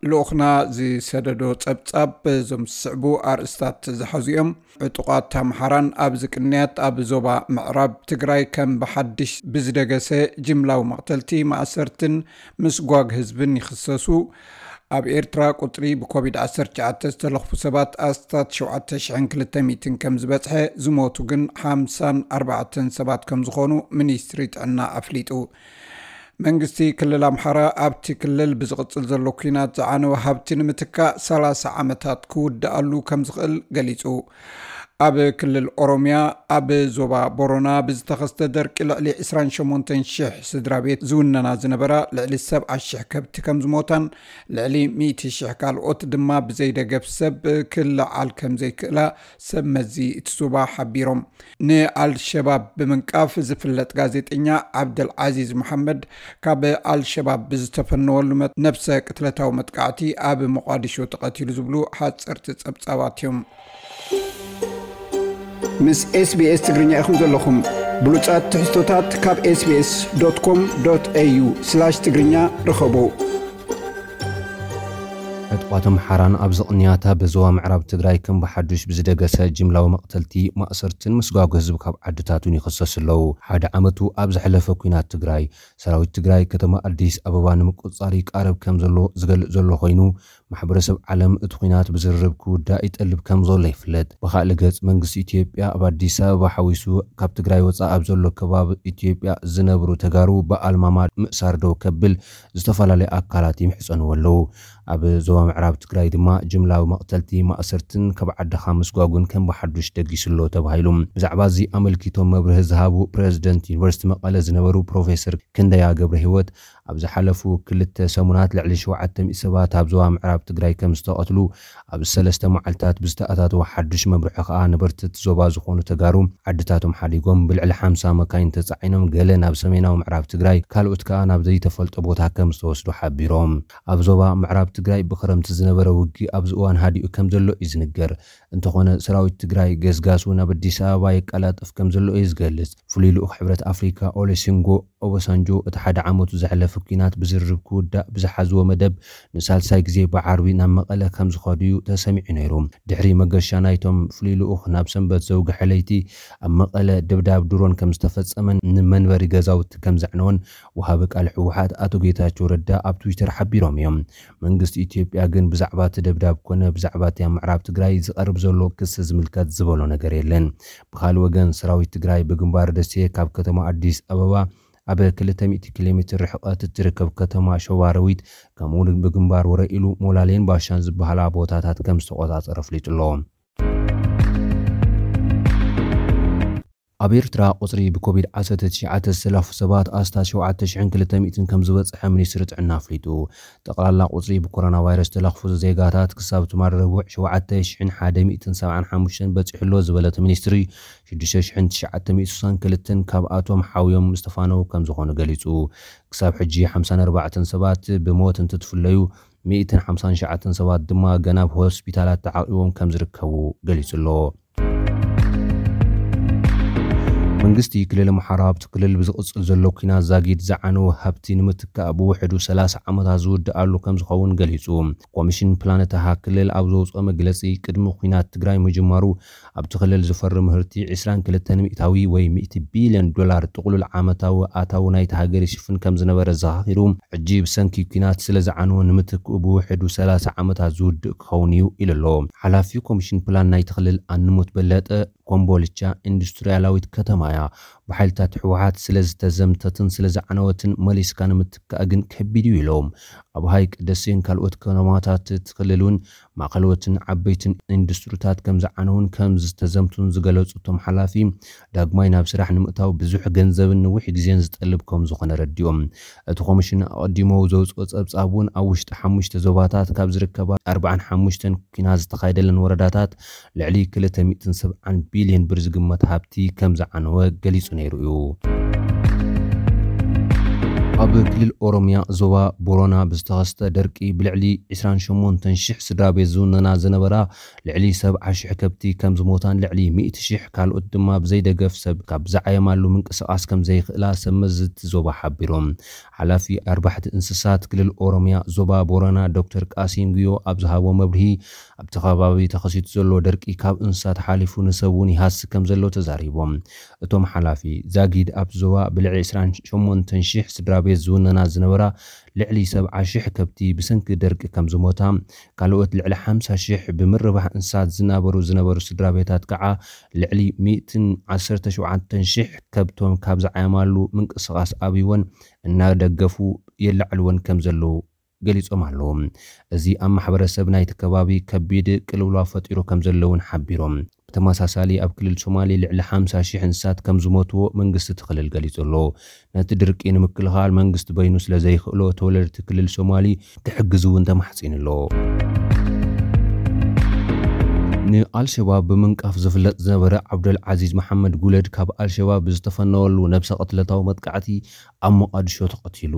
ልኡኽና ዝሰደዶ ጸብጻብ እዞም ዝስዕቡ ኣርእስታት ዝሓዙ እዮም። ዕጡቓት ኣምሓራን ኣብዚ ቅንያት ኣብ ዞባ ምዕራብ ትግራይ ከም ብሓድሽ ብዝደገሰ ጅምላዊ መቕተልቲ፣ ማእሰርትን ምስጓግ ህዝብን ይኽሰሱ። ኣብ ኤርትራ ቁጽሪ ብኮቪድ ዓሰርተ ትሽዓተ ዝተለኽፉ ሰባት ኣስታት ሸውዓተ ሽሕን ክልተ ሚእትን ከም ዝበጽሐ፣ ዝሞቱ ግን ሓምሳን ኣርባዕተን ሰባት ከም ዝኾኑ ሚኒስትሪ ጥዕና ኣፍሊጡ። መንግስቲ ክልል ኣምሓራ ኣብቲ ክልል ብዝቕጽል ዘሎ ኲናት ዝዓነወ ሃብቲ ንምትካእ ሰላሳ ዓመታት ክውድኣሉ ከም ዝኽእል ገሊጹ። ኣብ ክልል ኦሮምያ ኣብ ዞባ ቦሮና ብዝተኸስተ ደርቂ ልዕሊ ዕስራን ሸሞንተን ሽሕ ስድራ ቤት ዝውነና ዝነበራ ልዕሊ ሰብዓ ሽሕ ከብቲ ከም ዝሞታን ልዕሊ ሚእቲ ሽሕ ካልኦት ድማ ብዘይደገፍ ሰብ ክለዓል ከም ዘይክእላ ሰብ መዚ እቲ ዞባ ሓቢሮም። ንኣልሸባብ ብምንቃፍ ዝፍለጥ ጋዜጠኛ ዓብደል ዓዚዝ መሓመድ ካብ ኣልሸባብ ብዝተፈነወሉ መ-፣ ነብሰ ቅትለታዊ መጥቃዕቲ ኣብ ሞቓዲሾ ተቐቲሉ ዝብሉ ሓጸርቲ ጸብጻባት እዮም። ምስ ኤስቢኤስ ትግርኛ ኢኹም ዘለኹም። ብሉጻት ትሕዝቶታት ካብ ኤስቢኤስ ዶት ኮም ዶት ኤዩ ስላሽ ትግርኛ ርኸቡ። ዕጡቓት ኣምሓራን ኣብዚ ቅንያት ኣብ ዞባ ምዕራብ ትግራይ ከም ብሓዱሽ ብዝደገሰ ጅምላዊ መቕተልቲ፣ ማእሰርትን ምስጓጉ ህዝቢ ካብ ዓድታቱን ይኽሰሱ ኣለዉ። ሓደ ዓመቱ ኣብ ዝሓለፈ ኲናት ትግራይ፣ ሰራዊት ትግራይ ከተማ ኣዲስ ኣበባ ንምቁጽጻር ይቃረብ ከም ዘሎ ዝገልጽ ዘሎ ኮይኑ፣ ማሕበረሰብ ዓለም እቲ ኲናት ብዝርርብ ክውዳእ ይጠልብ ከም ዘሎ ይፍለጥ። ብኻልእ ገጽ፣ መንግስቲ ኢትዮጵያ ኣብ ኣዲስ ኣበባ ሓዊሱ ካብ ትግራይ ወጻኢ ኣብ ዘሎ ከባቢ ኢትዮጵያ ዝነብሩ ተጋሩ ብኣልማማ ምእሳር ደው ከብል ዝተፈላለዩ ኣካላት ይምሕጸንዎ ኣለዉ። ኣብ ዞባ ምዕራብ ትግራይ ድማ ጅምላዊ መቕተልቲ፣ ማእሰርትን ካብ ዓድኻ ምስጓጉን ከም ብሓዱሽ ደጊሱ ኣሎ ተባሂሉ። ብዛዕባ እዚ ኣመልኪቶም መብርሂ ዝሃቡ ፕረዚደንት ዩኒቨርሲቲ መቐለ ዝነበሩ ፕሮፌሰር ክንደያ ገብረ ህይወት፣ ኣብ ዝሓለፉ ክልተ ሰሙናት ልዕሊ ሸውዓተ ሚእቲ ሰባት ኣብ ዞባ ምዕራብ ትግራይ ከም ዝተቐትሉ፣ ኣብ ሰለስተ መዓልታት ብዝተኣታተወ ሓዱሽ መብርሒ ከኣ ነበርቲ እቲ ዞባ ዝኾኑ ተጋሩ ዓድታቶም ሓዲጎም ብልዕሊ ሓምሳ መካይን ተጻዒኖም ገለ ናብ ሰሜናዊ ምዕራብ ትግራይ ካልኦት ከኣ ናብ ዘይተፈልጠ ቦታ ከም ዝተወስዱ ሓቢሮም። ኣብ ዞባ ምዕራብ ትግራይ ብክረምቲ ዝነበረ ውግእ ኣብዚ እዋን ሃዲኡ ከም ዘሎ እዩ ዝንገር። እንተኾነ ሰራዊት ትግራይ ገስጋሱ ናብ ኣዲስ ኣበባ የቀላጥፍ ከም ዘሎ እዩ ዝገልጽ። ፍሉይ ልኡኽ ሕብረት ኣፍሪካ ኦሉሴጉን ኦባሳንጆ እቲ ሓደ ዓመቱ ዘሕለፈ ኲናት ብዝርርብ ክውዳእ ብዝሓዝዎ መደብ ንሳልሳይ ግዜ ብዓርቢ ናብ መቐለ ከም ዝኸዱ እዩ ተሰሚዑ ነይሩ። ድሕሪ መገሻ ናይቶም ፍሉይ ልኡኽ ናብ ሰንበት ዘውግሐ ለይቲ ኣብ መቐለ ደብዳብ ድሮን ከም ዝተፈጸመን ንመንበሪ ገዛውቲ ከም ዘዕነወን ወሃቢ ቃል ህወሓት ኣቶ ጌታቸው ረዳ ኣብ ትዊተር ሓቢሮም እዮም። መንግስቲ ኢትዮጵያ ግን ብዛዕባ እቲ ደብዳብ ኮነ ብዛዕባ እቲ ኣብ ምዕራብ ትግራይ ዝቐርብ ዘሎ ክሲ ዝምልከት ዝበሎ ነገር የለን። ብኻልእ ወገን፣ ሰራዊት ትግራይ ብግንባር ደሴ ካብ ከተማ ኣዲስ ኣበባ ኣብ ክልተ ሚእቲ ኪሎ ሜትር ርሕቀት እትርከብ ከተማ ሸዋሮቢት፣ ከምኡ እውን ብግንባር ወረ ኢሉ ሞላሌን ባሻን ዝበሃላ ቦታታት ከም ዝተቆጻጸረ ኣፍሊጡ ኣሎ። ኣብ ኤርትራ ቁጽሪ ብኮቪድ ዓሰርተ ትሽዓተ ዝተለኽፉ ሰባት ኣስታት ሸውዓተ ሽሕን ክልተ ሚእትን ከም ዝበጽሐ ሚኒስትሪ ጥዕና ኣፍሊጡ። ጠቕላላ ቁጽሪ ብኮሮና ቫይረስ ዝተለኽፉ ዜጋታት ክሳብ ትማል ረቡዕ ሸውዓተ ሽሕን ሓደ ሚእትን ሰብዓን ሓሙሽተን በጺሑ ኣሎ ዝበለ እቲ ሚኒስትሪ፣ ሽዱሽተ ሽሕን ትሽዓተ ሚእትን ስሳን ክልተን ካብኣቶም ሓውዮም ዝተፋነዉ ከም ዝኾኑ ገሊጹ። ክሳብ ሕጂ ሓምሳን ኣርባዕተን ሰባት ብሞት እንትትፍለዩ፣ ሚእትን ሓምሳን ትሽዓተን ሰባት ድማ ገና ኣብ ሆስፒታላት ተዓቂቦም ከም ዝርከቡ ገሊጹ ኣሎ። መንግስቲ ክልል ኣምሓራ ኣብቲ ክልል ብዝቕጽል ዘሎ ኲናት ዛጊድ ዝዓነወ ሃብቲ ንምትካእ ብውሕዱ ሰላሳ ዓመታት ዝውድኣሉ ከም ዝኸውን ገሊጹ። ኮሚሽን ፕላን እታ ክልል ኣብ ዘውጽኦ መግለጺ፣ ቅድሚ ኲናት ትግራይ ምጅማሩ ኣብቲ ክልል ዝፈሪ ምህርቲ ዕስራን ክልተን ሚእታዊ ወይ ሚእቲ ቢልዮን ዶላር ጥቕሉል ዓመታዊ ኣታዊ ናይቲ ሃገር ይሽፍን ከም ዝነበረ ዘኻኺሩ፣ ሕጂ ብሰንኪ ኲናት ስለ ዝዓነወ ንምትክኡ ብውሕዱ ሰላሳ ዓመታት ዝውድእ ክኸውን እዩ ኢሉ ኣሎ። ሓላፊ ኮሚሽን ፕላን ናይቲ ክልል ኣንሙት በለጠ፣ ኮምቦልቻ ኢንዱስትሪያላዊት ከተማ እያ። ብሓይልታት ህወሓት ስለ ዝተዘምተትን ስለ ዝዓነወትን መሊስካ ንምትካእ ግን ከቢድ እዩ ኢሎም። ኣብ ሃይቅ ደሴን ካልኦት ከተማታት እቲ ክልል እውን ማእኸሎትን ዓበይትን ኢንዱስትሪታት ከም ዝዓነውን ከም ዝተዘምቱን ዝገለጹ እቶም ሓላፊ፣ ዳግማይ ናብ ስራሕ ንምእታው ብዙሕ ገንዘብን ነዊሕ ግዜን ዝጠልብ ከም ዝኾነ ረዲኦም። እቲ ኮሚሽን ኣቐዲሙ ዘውፅኦ ጸብጻብ እውን ኣብ ውሽጢ ሓሙሽተ ዞባታት ካብ ዝርከባ ኣርባዓን ሓሙሽተን ኲናት ዝተኻየደለን ወረዳታት ልዕሊ ክልተ ሚእትን ሰብዓን ቢልዮን ብር ዝግመት ሃብቲ ከም ዝዓነወ ገሊጹ ነይሩ እዩ። ኣብ ክልል ኦሮምያ ዞባ ቦረና ብዝተኸስተ ደርቂ ብልዕሊ ዕስራን ሸሞንተን ሽሕ ስድራ ቤት ዝውነና ዝነበራ ልዕሊ ሰብዓ ሽሕ ከብቲ ከም ዝሞታን ልዕሊ ሚእቲ ሽሕ ካልኦት ድማ ብዘይደገፍ ሰብ ካብ ዝዓየማሉ ምንቅስቓስ ከም ዘይኽእላ ሰብ መዚ እቲ ዞባ ሓቢሮም። ሓላፊ ኣርባሕቲ እንስሳት ክልል ኦሮምያ ዞባ ቦረና ዶክተር ቃሲም ጉዮ ኣብ ዝሃቦ መብርሂ ኣብቲ ከባቢ ተኸሲቱ ዘሎ ደርቂ ካብ እንስሳት ሓሊፉ ንሰብ እውን ይሃሲ ከም ዘሎ ተዛሪቦም። እቶም ሓላፊ ዛጊድ ኣብ ዞባ ብልዕሊ ዕስራን ሸሞንተን ሽሕ ስድራ ቤት ዝውነና ዝነበራ ልዕሊ ሰብዓ ሽሕ ከብቲ ብሰንኪ ደርቂ ከም ዝሞታ፣ ካልኦት ልዕሊ ሓምሳ ሽሕ ብምርባሕ እንስሳት ዝናበሩ ዝነበሩ ስድራ ቤታት ከዓ ልዕሊ ሚእትን ዓሰርተ ሸውዓተን ሽሕ ከብቶም ካብ ዝዓየማሉ ምንቅስቓስ ኣብይወን እናደገፉ የላዕልወን ከም ዘለዉ ገሊጾም ኣለዉ። እዚ ኣብ ማሕበረሰብ ናይቲ ከባቢ ከቢድ ቅልውላው ፈጢሩ ከም ዘለውን ሓቢሮም። ብተመሳሳሊ ኣብ ክልል ሶማሌ ልዕሊ ሓምሳ ሽሕ እንስሳት ከም ዝሞትዎ መንግስቲ እቲ ክልል ገሊጹ ኣሎ። ነቲ ድርቂ ንምክልኻል መንግስቲ በይኑ ስለ ዘይኽእሎ ተወለድቲ ክልል ሶማሊ ክሕግዝ እውን ተማሕጺኑ ኣሎ። ንኣልሸባብ ብምንቃፍ ዝፍለጥ ዝነበረ ዓብደል ዓዚዝ መሓመድ ጉለድ ካብ ኣልሸባብ ብዝተፈነወሉ ነብሰ ቅትለታዊ መጥቃዕቲ ኣብ ሞቓድሾ ተቐቲሉ።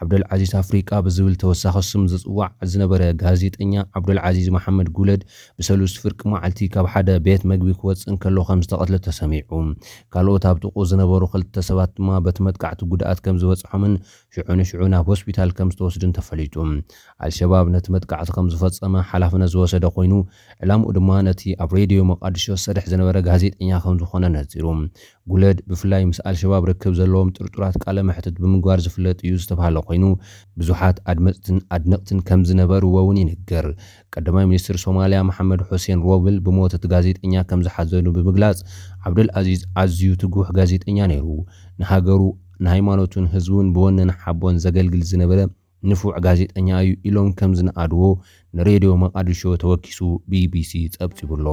ዓብደል ዓዚዝ ኣፍሪቃ ብዝብል ተወሳኺ ስም ዝጽዋዕ ዝነበረ ጋዜጠኛ ዓብደል ዓዚዝ መሓመድ ጉለድ ብሰሉስ ፍርቂ መዓልቲ ካብ ሓደ ቤት መግቢ ክወጽእ እንከሎ ከም ዝተቐትለ ተሰሚዑ። ካልኦት ኣብ ጥቕኡ ዝነበሩ ክልተ ሰባት ድማ በቲ መጥቃዕቲ ጉድኣት ከም ዝበጽሖምን ሽዑ ንሽዑ ናብ ሆስፒታል ከም ዝተወስዱን ተፈሊጡ። ኣልሸባብ ነቲ መጥቃዕቲ ከም ዝፈጸመ ሓላፍነት ዝወሰደ ኮይኑ፣ ዕላምኡ ድማ ነቲ ኣብ ሬድዮ መቃድሾ ዝሰርሕ ዝነበረ ጋዜጠኛ ከም ዝኾነ ነጺሩ። ጉለድ ብፍላይ ምስ ኣልሸባብ ርክብ ዘለዎም ጥርጡራት ቃለ መሕትት ብምግባር ዝፍለጥ እዩ ዝተባህለ ኮይኑ፣ ብዙሓት ኣድመፅትን ኣድነቕትን ከም ዝነበርዎ እውን ይንገር። ቀዳማይ ሚኒስትር ሶማልያ መሓመድ ሑሴን ሮብል ብሞት እቲ ጋዜጠኛ ከም ዝሓዘኑ ብምግላጽ፣ ዓብደል ኣዚዝ ኣዝዩ ትጉህ ጋዜጠኛ ነይሩ። ንሃገሩ፣ ንሃይማኖቱን ህዝቡን ብወንን ሓቦን ዘገልግል ዝነበረ ንፉዕ ጋዜጠኛ እዩ ኢሎም ከም ዝነኣድዎ ንሬድዮ መቓድሾ ተወኪሱ ቢቢሲ ጸብጺቡ ኣሎ።